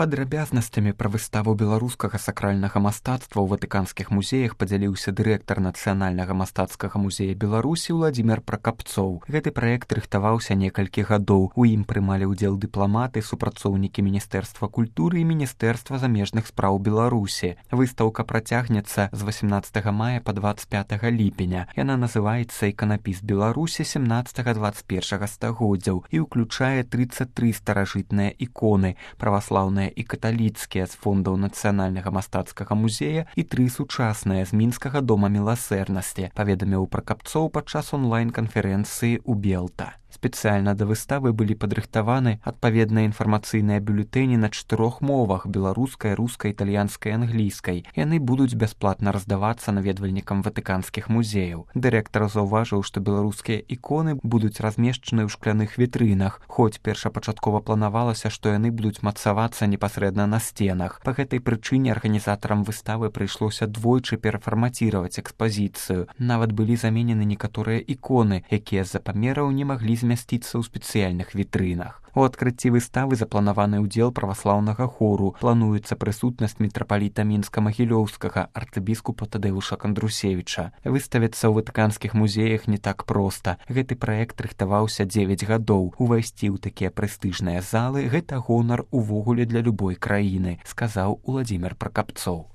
Падрабязнасцямі пра выставу беларускага сакральнага мастацтва ў ватыканскіх музеях падзяліўся дырэктар Нацыянальнага мастацкага музея Беларусі Уладзімир Пракапцоў. Гэты праект рыхтаваўся некалькі гадоў. У ім прымалі ўдзел дыпламаты, супрацоўнікі Міністэрства культуры і Міністэрства замежных спраў Беларусі. Выстаўка працягнецца з 18 мая па 25 ліпеня. Яна называецца «Іканапіс Беларусі 17-21 стагоддзяў» і ўключае 33 старажытныя іконы, праваслаўныя і каталіцкія з фондаў Нацыянальнага мастацкага музея і 3 сучасныя з мінскага дома міласэрнасці, паведаміў Пракапцоў падчас онлайн-канферэнцыі ў Белта. Спецыяльна да выставы былі падрыхтаваны адпаведныя інфармацыйныя бюлетэні на 4 мовах – беларускай, рускай, італьянскай, англійскай. Яны будуць бясплатна раздавацца наведвальнікам ватыканскіх музеяў. Дырэктар заўважыў, што беларускія іконы будуць размешчаны ў шкляных вітрынах, хоць першапачаткова планавалася, што яны будуць мацавацца непасрэдна на сценах. Па гэтай прычыне арганізатарам выставы прыйшлося двойчы перафармаціраваць экспазіцыю. Нават былі заменены некаторыя іконы, якія з-за памераў не маглі змясціцца ў спецыяльных вітрынах. У адкрыцці выставы запланаваны ўдзел праваслаўнага хору. Плануецца прысутнасць мітрапаліта Мінска-Магілёўскага, арцыбіскупа Тадэуша Кандрусевіча. Выставіцца ў ватыканскіх музеях не так проста. Гэты праект рыхтаваўся 9 гадоў. Увайсці ў такія прэстыжныя залы – гэта гонар увогуле для любой краіны, сказаў Уладзімир Пракапцоў.